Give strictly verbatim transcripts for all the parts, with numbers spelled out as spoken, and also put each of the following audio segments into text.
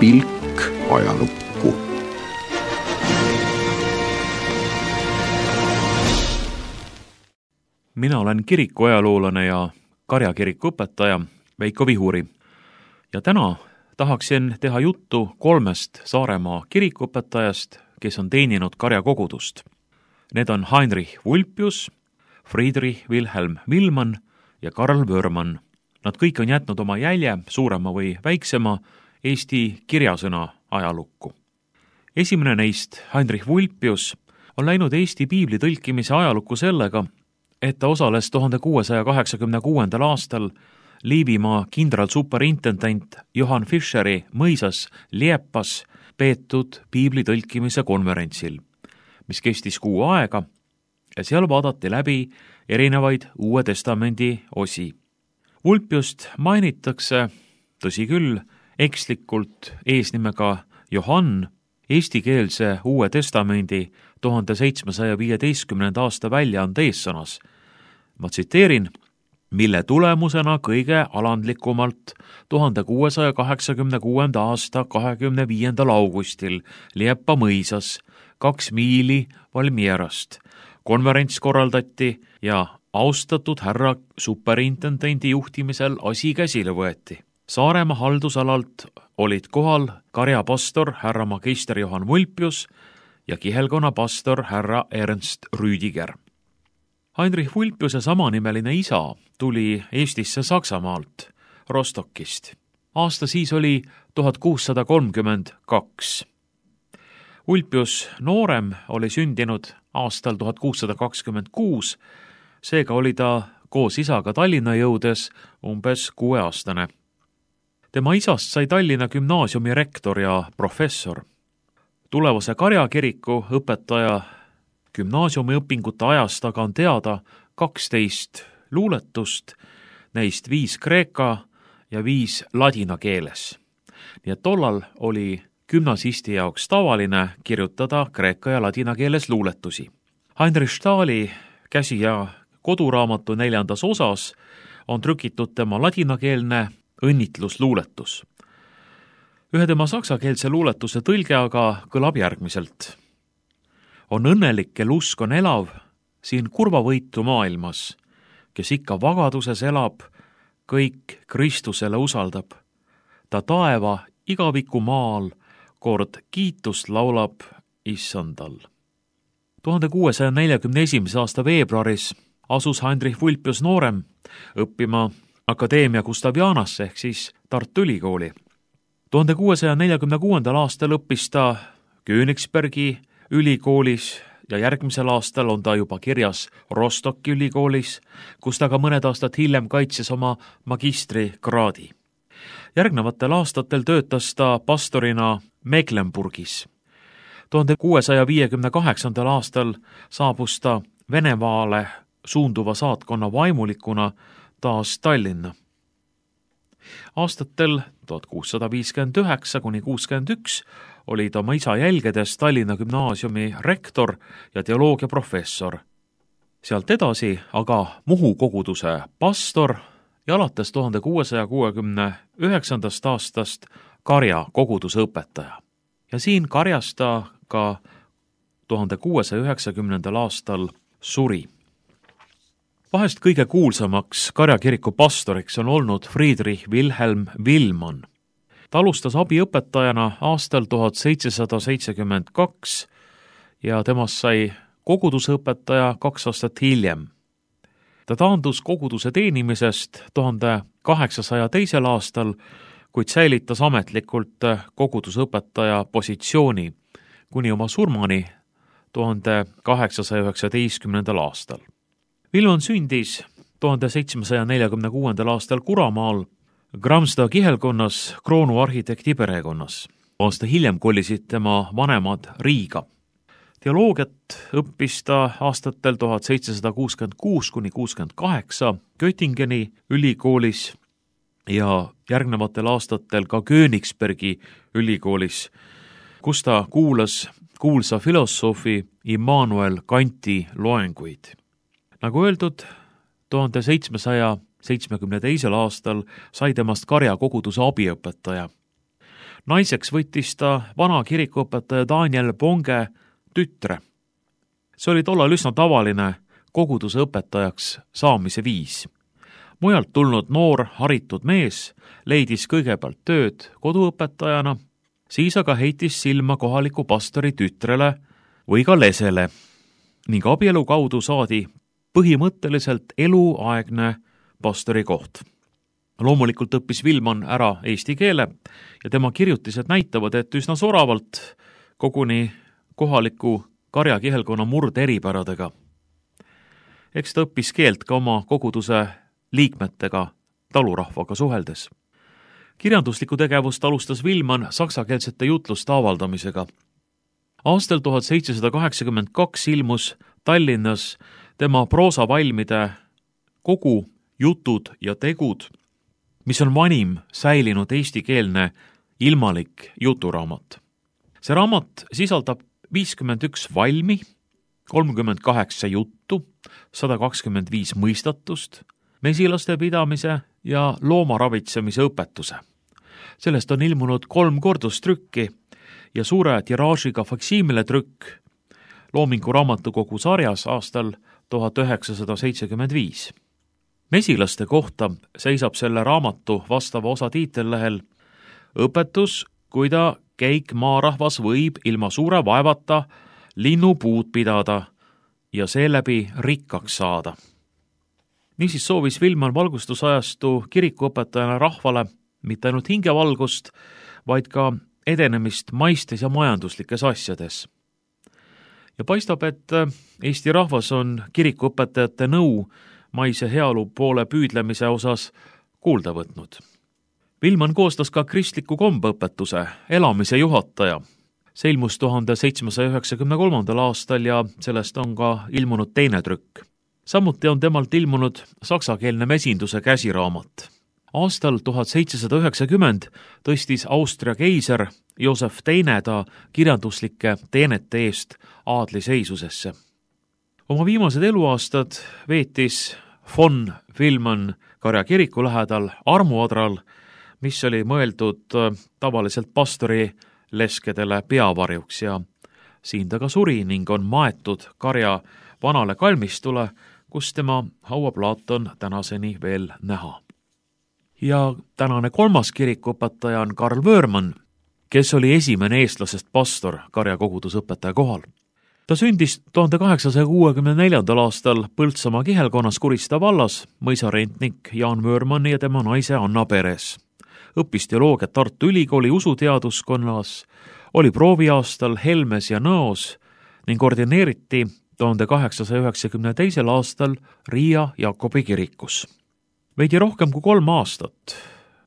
pilk ajalukku. Mina olen kirikuajaloolane ja Karja kiriku õpetaja Veiko Vihuri ja täna tahaksin teha juttu kolmest Saaremaa kirikuõpetajast, kes on teeninud Karja kogudust. Need on Heinrich Vulpius, Friedrich Wilhelm Villmann ja Karl Wörmann. Nad kõik on jätnud oma jälje, suurema või väiksema, Eesti kirjasõna ajalukku. Esimene neist, Heinrich Vulpius, on läinud Eesti piibli tõlkimise ajalukku sellega, et ta osales tuhande kuuesaja kaheksakümne kuuendal aastal Liivimaa kindralsuperintendent Johann Fischeri mõisas Liepas peetud piibli tõlkimise konverentsil, mis kestis kuu aega ja seal vaadati läbi erinevaid Uue Testamendi osi. Vulpiust mainitakse, tõsi küll, ekslikult eesnimega Johann, eestikeelse Uue Testamendi tuhande seitsmesaja viieteistkümnenda aasta väljaande eessõnas. Ma tsiteerin, mille tulemusena kõige alandlikumalt tuhande kuuesaja kaheksakümne kuuenda aasta kahekümne viiendal augustil Liepa mõisas kaks miili Valmierast konverents korraldati ja austatud härra superintendendi juhtimisel asi käsile võeti. Saaremaa haldusalalt olid kohal Karja pastor härra magister Johann Vulpius ja Kihelkonna pastor härra Ernst Rüdiger. Heinrich Vulpiuse samanimeline isa tuli Eestisse Saksamaalt, Rostokist. Aasta siis oli tuhat kuussada kolmkümmend kaks. Vulpius noorem oli sündinud aastal tuhat kuussada kakskümmend kuus, seega oli ta koos isaga Tallinna jõudes umbes kuueaastane. Tema isast sai Tallinna gümnaasiumi rektor ja professor. Tulevase Karja kiriku õpetaja gümnaasiumi õpingute ajast aga on teada kaksteist luuletust, neist viis kreeka ja viis ladina keeles. Nii et tollal oli gümnasisti jaoks tavaline kirjutada kreeka ja ladina keeles luuletusi. Heinrich Stahli käsi- ja koduraamatu neljandas osas on trükitud tema ladinakeelne õnnitlusluuletus. Ühe tema saksakeelse luuletuse tõlge aga kõlab järgmiselt. On õnnelik, kel usk on elav siin kurvavõitu maailmas, kes ikka vagaduses elab, kõik Kristusele usaldab. Ta taeva igaviku maal kord kiitust laulab issandal. tuhande kuuesaja neljakümne esimese aasta veebruaris asus Heinrich Vulpius noorem õppima Akadeemia Gustavianasse ehk siis Tartu Ülikooli. tuhande kuuesaja neljakümne kuuendal aastal õppis ta Königsbergi ülikoolis ja järgmisel aastal on ta juba kirjas Rostocki ülikoolis, kus ta ka mõned aastad hiljem kaitses oma magistrikraadi. Järgnevatel aastatel töötas ta pastorina Mecklenburgis. tuhande kuuesaja viiekümne kaheksandal aastal saabus ta Venemaale suunduva saatkonna vaimulikuna taas Tallinna. Aastatel tuhat kuussada viiskümmend üheksa kuni kuuskümmend üks oli ta oma isa jälgedes Tallinna gümnaasiumi rektor ja teoloogia professor. Sealt edasi aga Muhu koguduse pastor ja alates tuhande kuuesaja kuuekümne üheksandast aastast Karja koguduse õpetaja. Ja siin Karjas ta ka tuhande kuuesaja üheksakümnendal aastal suri. Vahest kõige kuulsamaks Karja kiriku pastoriks on olnud Friedrich Wilhelm Villmann. Ta alustas abiõpetajana aastal tuhat seitsesada seitsekümmend kaks ja temast sai kogudusõpetaja kaks aastat hiljem. Ta taandus koguduse teenimisest tuhande kaheksasaja teisel aastal, kuid säilitas ametlikult kogudusõpetaja positsiooni kuni oma surmani tuhande kaheksasaja üheksateistkümnendal aastal. Villmann sündis tuhande seitsmesaja neljakümne kuuendal aastal Kuramaal Gramsta kihelkonnas Kroonu arhitekti perekonnas. Aasta hiljem kolisid tema vanemad Riiga. Teoloogiat õppis ta aastatel tuhat seitsesada kuuskümmend kuus kuni kuuskümmend kaheksa Göttingeni ülikoolis ja järgnevatel aastatel ka Königsbergi ülikoolis, kus ta kuulas kuulsa filosoofi Immanuel Kanti loenguid. Nagu öeldud, tuhande seitsmesaja seitsmekümne teisel aastal sai temast Karja koguduse abiõpetaja. Naiseks võttis ta vana kirikuõpetaja Daniel Bonge tütre. See oli tollal üsna tavaline koguduse õpetajaks saamise viis. Mujalt tulnud noor haritud mees leidis kõigepealt tööd koduõpetajana, siis aga heitis silma kohaliku pastori tütrele või ka lesele ning abielu kaudu saadi põhimõtteliselt eluaegne pastori koht. Loomulikult õppis Villmann ära eesti keele ja tema kirjutised näitavad, et üsna soravalt koguni kohaliku karjakihelkonna murde eripäradega. Eks ta õppis keelt ka oma koguduse liikmetega, talurahvaga suheldes. Kirjanduslikku tegevust alustas Villmann saksakeelsete jutluste avaldamisega. Aastal tuhat seitsesada kaheksakümmend kaks ilmus Tallinnas tema proosavalmide kogu Jutud ja tegud, mis on vanim säilinud eestikeelne ilmalik juturaamat. See raamat sisaldab viiskümmend üks valmi, kolmkümmend kaheksa juttu, sada kakskümmend viis mõistatust, mesilaste pidamise ja loomaravitsemise õpetuse. Sellest on ilmunud kolm kordustrükki ja suure tiraažiga faksiimile trükk Loomingu raamatukogu sarjas aastal tuhat üheksasada seitsekümmend viis. Mesilaste kohta seisab selle raamatu vastava osa tiitellehel õpetus, kuida käik maarahvas võib ilma suure vaevata linnupuud pidada ja seeläbi rikkaks saada. Niisiis soovis Villmann valgustusajastu kirikuõpetajana rahvale mitte ainult hingevalgust, vaid ka edenemist maistes ja majanduslikes asjades. Ja paistab, et Eesti rahvas on kirikuõpetajate nõu maise heaolu poole püüdlemise osas kuulda võtnud. Villmann koostas ka kristliku kombeõpetuse elamise juhataja. See ilmus tuhande seitsmesaja üheksakümne kolmandal aastal ja sellest on ka ilmunud teine trükk. Samuti on temalt ilmunud saksakeelne mesinduse käsiraamat. Aastal tuhat seitsesada üheksakümmend tõstis Austria keiser Joosef teine ta kirjanduslike teenete eest aadliseisusesse. Oma viimased eluaastad veetis von Villmann Karja kiriku lähedal armuadral, mis oli mõeldud tavaliselt pastori leskedele peavarjuks ja siin ta ka suri ning on maetud Karja vanale kalmistule, kus tema hauaplaat on tänaseni veel näha. Ja tänane kolmas kirikuõpetaja on Karl Vöörmann, kes oli esimene eestlasest pastor Karja kogudusõpetaja kohal. Ta sündis tuhande kaheksasaja kuuekümne neljandal aastal Põltsamaa kihelkonnas Kurista vallas mõisarentnik Jaan Vöörmanni ja tema naise Anna peres. Õppis teoloogiat Tartu Ülikooli usuteaduskonnas, oli prooviaastal Helmes ja Nõos ning ordineeriti tuhande kaheksasaja üheksakümne teisel aastal Riia Jakobi kirikus. Veidi rohkem kui kolm aastat,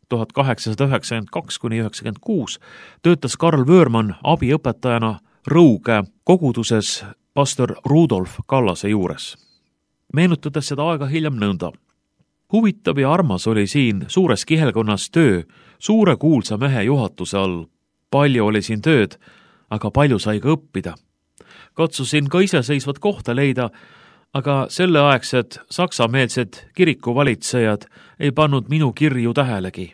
tuhat kaheksasada üheksakümmend kaks kuni üheksakümmend kuus, töötas Karl Vöörmann abiõpetajana Rõuge koguduses pastor Rudolf Kallase juures. Meenutades seda aega hiljem nõnda. Huvitav ja armas oli siin suures kihelkonnas töö suure kuulsa mehe juhatuse all. Palju oli siin tööd, aga palju sai ka õppida. Katsusin ka iseseisvat kohta leida, aga selleaegsed saksameelsed kirikuvalitsejad ei pannud minu kirju tähelegi.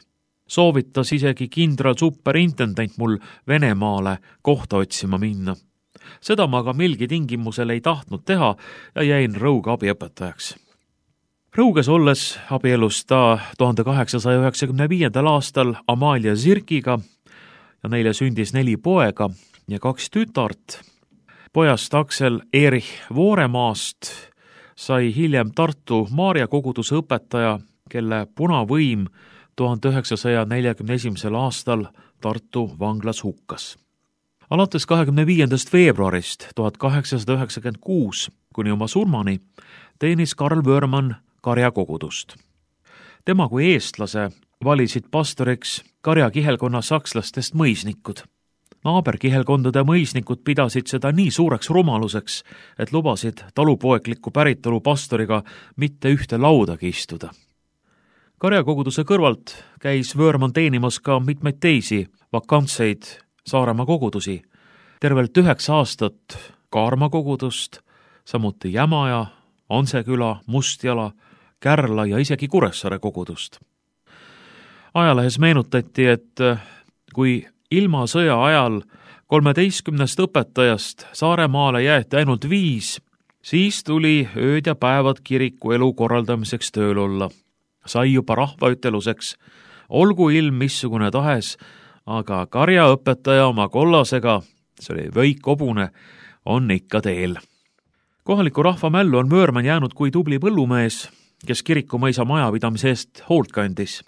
Soovitas isegi kindral superintendent mul Venemaale kohta otsima minna. Seda ma aga milgi tingimusel ei tahtnud teha ja jäin Rõuge abiõpetajaks. Rõuges olles abielus ta tuhande kaheksasaja üheksakümne viiendal aastal Amalia Zirkiga ja neile sündis neli poega ja kaks tütart. Pojast Aksel Erich Vooremaast sai hiljem Tartu Maarja koguduse õpetaja, kelle punavõim tuhande üheksasaja neljakümne esimesel aastal Tartu vanglas hukkas. Alates kahekümne viiendast veebruarist tuhat kaheksasada üheksakümmend kuus kuni oma surmani teenis Karl Vöörmann Karja kogudust. Tema kui eestlase valisid pastoriks Karja kihelkonna sakslastest mõisnikud. Naaberkihelkondade mõisnikud pidasid seda nii suureks rumaluseks, et lubasid talupoekliku päritolu pastoriga mitte ühte laudagi istuda. Karja koguduse kõrvalt käis Vöörmann teenimas ka mitmeid teisi vakantseid Saaremaa kogudusi, tervelt üheksa aastat Kaarma kogudust, samuti Jämaja, Anseküla, Mustjala, Kärla ja isegi Kuressaare kogudust. Ajalehes meenutati, et kui ilmasõja ajal kolmeteistkümnest õpetajast Saaremaale jäeti ainult viis, siis tuli ööd ja päevad kiriku elu korraldamiseks tööl olla. Sai juba rahvaüteluseks, olgu ilm missugune tahes, aga karjaõpetaja oma kollasega, see oli Veik Obune, on ikka teel. Kohaliku rahva mällu on Vöörmann jäänud kui tubli põllumees, kes kirikumõisa majapidamise eest hoolt kandis.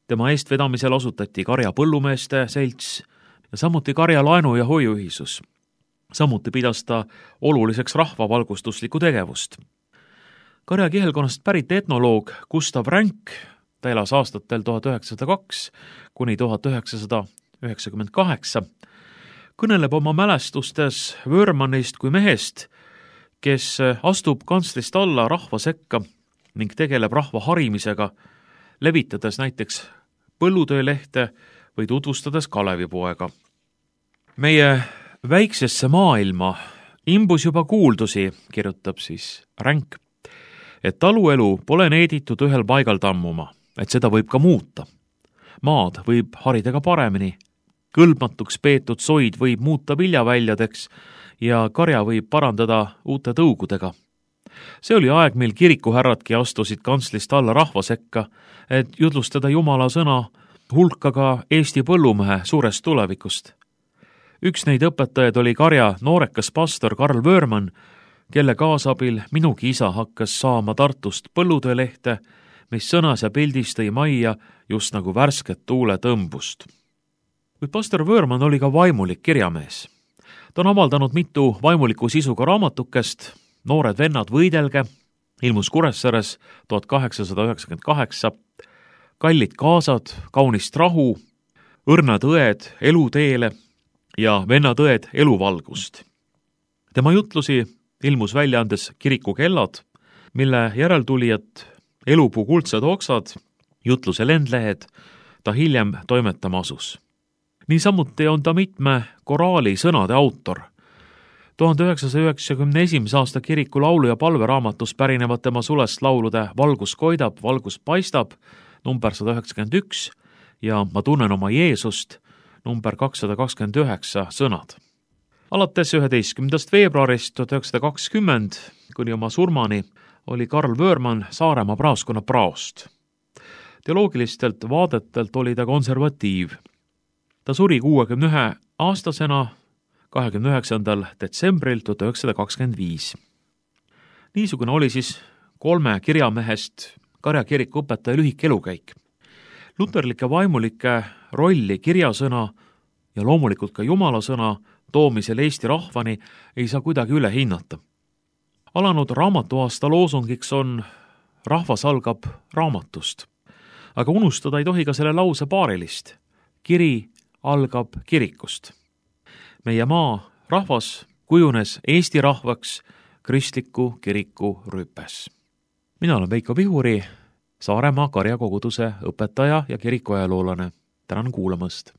Tema eestvedamisel asutati Karja põllumeeste selts ja samuti Karja laenu- ja hoiuühisus. Samuti pidas ta oluliseks rahvavalgustuslikku tegevust. Karja kihelkonnast pärit etnoloog Gustav Ränk, ta elas aastatel tuhat üheksasada kaks kuni tuhat üheksasada üheksakümmend kaheksa, kõneleb oma mälestustes Vöörmannist kui mehest, kes astub kantslist alla rahva sekka ning tegeleb rahva harimisega, levitades näiteks põllutöölehte või tutvustades Kalevipoega. Meie väiksesse maailma imbus juba kuuldusi, kirjutab siis Ränk, et taluelu pole needitud ühel paigal tammuma, et seda võib ka muuta. Maad võib harida ka paremini, kõlbmatuks peetud soid võib muuta viljaväljadeks ja karja võib parandada uute tõugudega. See oli aeg, mil kirikuhärradki astusid kantslist alla rahva sekka, et jutlustada Jumala sõna hulka ka Eesti põllumehe suurest tulevikust. Üks neid õpetajaid oli karja noorekas pastor Karl Vöörmann, kelle kaasabil minugi isa hakkas saama Tartust põllutöölehte, mis sõnas ja pildis tõi majja just nagu värsket tuule tõmbust. Kuid pastor Vöörmann oli ka vaimulik kirjamees. Ta on avaldanud mitu vaimuliku sisuga raamatukest, Noored vennad võidelge, ilmus Kuressaares tuhat kaheksasada üheksakümmend kaheksa, Kallid kaasad, Kaunist rahu, Õrnad õed eluteele ja Vennad õed eluvalgust. Tema jutlusi ilmus väljaandes Kiriku kellad, mille järeltulijad Elupuu kuldsed oksad, jutluse lendlehed, ta hiljem toimetama asus. Niisamuti on ta mitme koraali sõnade autor. tuhande üheksasaja üheksakümne esimese aasta kiriku laulu- ja palveraamatus pärinevad tema sulest laulude Valgus koidab, valgus paistab, number sada üheksakümmend üks ja Ma tunnen oma Jeesust, number kakssada kakskümmend üheksa sõnad. Alates üheteistkümnendast veebruarist tuhat üheksasada kakskümmend kuni oma surmani oli Karl Vöörmann Saaremaa praaskonna praost. Teoloogilistelt vaadetelt oli ta konservatiiv. Ta suri kuuekümne ühe aastasena kahekümne üheksandal detsembril tuhat üheksasada kakskümmend viis. Niisugune oli siis kolme kirjamehest Karja kiriku õpetaja lühik elukäik. Luterlike vaimulike rolli kirjasõna ja loomulikult ka Jumala sõna toomisel Eesti rahvani ei saa kuidagi üle hinnata. Alanud raamatuaasta loosungiks on rahvas algab raamatust, aga unustada ei tohi ka selle lause paarilist. Kiri algab kirikust. Meie maa rahvas kujunes Eesti rahvaks kristliku kiriku rüpes. Mina olen Veiko Vihuri, Saaremaa Karja koguduse õpetaja ja kirikuajaloolane. Tänan kuulamast!